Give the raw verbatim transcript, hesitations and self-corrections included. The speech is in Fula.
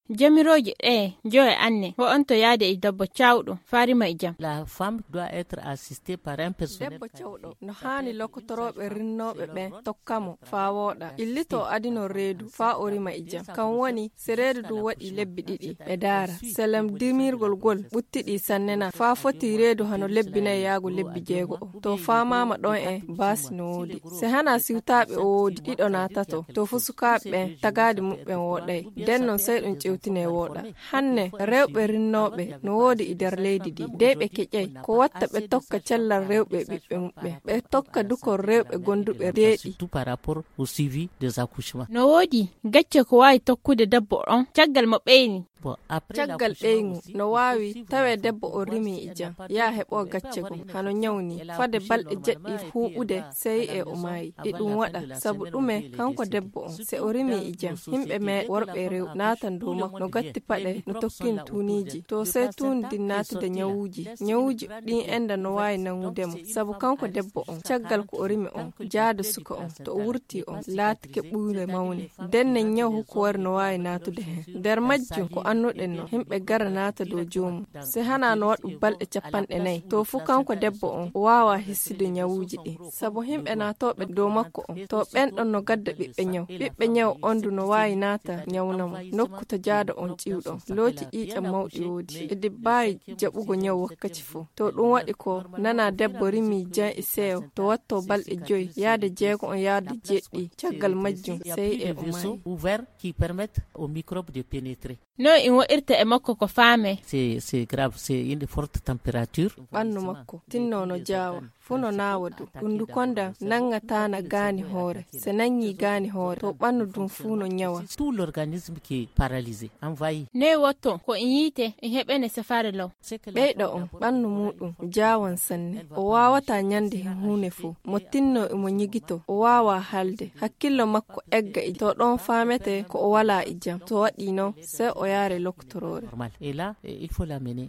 Jamirooje ɗee jowe anne, ho'onto yaade e debbo cawɗo, faa rima e jam. La femme doit être assistée par un personnel. Debbo cawɗo no haani lokotorooɓe rinnooɓe ɓen tokka mo faa wooɗa. Illito o adinoo reedu faa o rima e jam. Kan woni, si reedu ndun waɗii lebbi ɗiɗi, ɓe ndaara. Selem dimirgol ngol ɓuttiɗii sanne na, faa foti reedu hano lebbi nay yaago lebbi jeego'o. To faamaama ɗon en, baasi no woodi. Si hanaa siwtaaɓe o woodi, ɗiɗo naa tato, to fuu sukaaɓe ɓen tagaadi muɓɓen wooɗay. Nden non sey ɗun ƴewtinee wooɗa. Hanne, rewɓe rinnooɓe no woodi e nder leydi ndin. De ɓe keƴay. Ko watta ɓe tokka cellal rewɓe e ɓiɓɓe muɓɓen. Ɓe tokka dukol rewɓe gonduɓe deeɗi. Surtout par rapport au suivi des accouchements. No woodi gacce ko waawi tokkude debbo on caggal mo ɓeyni. Caggal ɓeyngu no waawi tawee debbo on rimii e jam, yaa heɓoo gacce goo, hano nyaw nii. Fade balɗe jeɗɗi huuɓude, sey e o maayi. E ɗun waɗa sabu ɗume? Kanko debbo on, si o rimii e jam, himɓe meeɗa, worɓe e rewɓe, naatan dow makko, no gatti paɗe, no tokkini tuuniiji. To sey tuundi ndin naatude nyawuuji, nyawuuji ɗin enda no waawi nangude mo, sabu kanko debbo on, caggal ko o rimi on, jaado suka on, to o wurtii on, laatike ɓuure mawne. Nden nden nyaw hukuwari no waawi naatude hen. Nder majjum ko annuɗen non, himɓe gara naata dow joomum. Si hanaa no waɗu balɗe cappanɗe nayi, to fuu kanko debbo on o waawaa hissude nyawuuji ɗin. Sabu himɓe naatooɓe dow makko on, to ɓen ɗon no gadda ɓiɓɓe nyaw. Ɓiɓɓe nyaw on du no waawi naata nyawna mo. Nokku to jaado on ƴiwɗon, looci ƴiiƴam mawɗi woodi. E dibbaayi jaɓugo nyaw wakkaci fuu. To ɗun waɗi ko nanaa debbo rimii jam e seyo, to wattoo balɗe joyi, yaade jeego on yaade jeɗɗi, caggal majjum, sey e o maayi. Ouvert qui permettent aux microbes de pénétrer. No in wa'irta e makko ko faamee. C'est, c'est grave, c'est une forte température. Ɓannu makko tinno no jaawa, fuu no naawa du. Ɓundu konda nangataa na gaani hoore. Se nangii gaani hoore, to ɓannu dun fuu no nyawa. Tout l'organisme qui est paralysé, envahi. Ne wotto ko in yiite, in heɓene safaare law. Ɓeyɗo on, ɓannu muuɗum jaawan sanne. O waawataa nyande hen huune fuu. Mo tinno e mo nyigito, o waawaa haalde. Hakkillo makko egga e to ɗon faametee ko o walaa e jam. To waɗii non, sey o yaare lokotoroore. Normal. Et là, eh, il faut l'amener.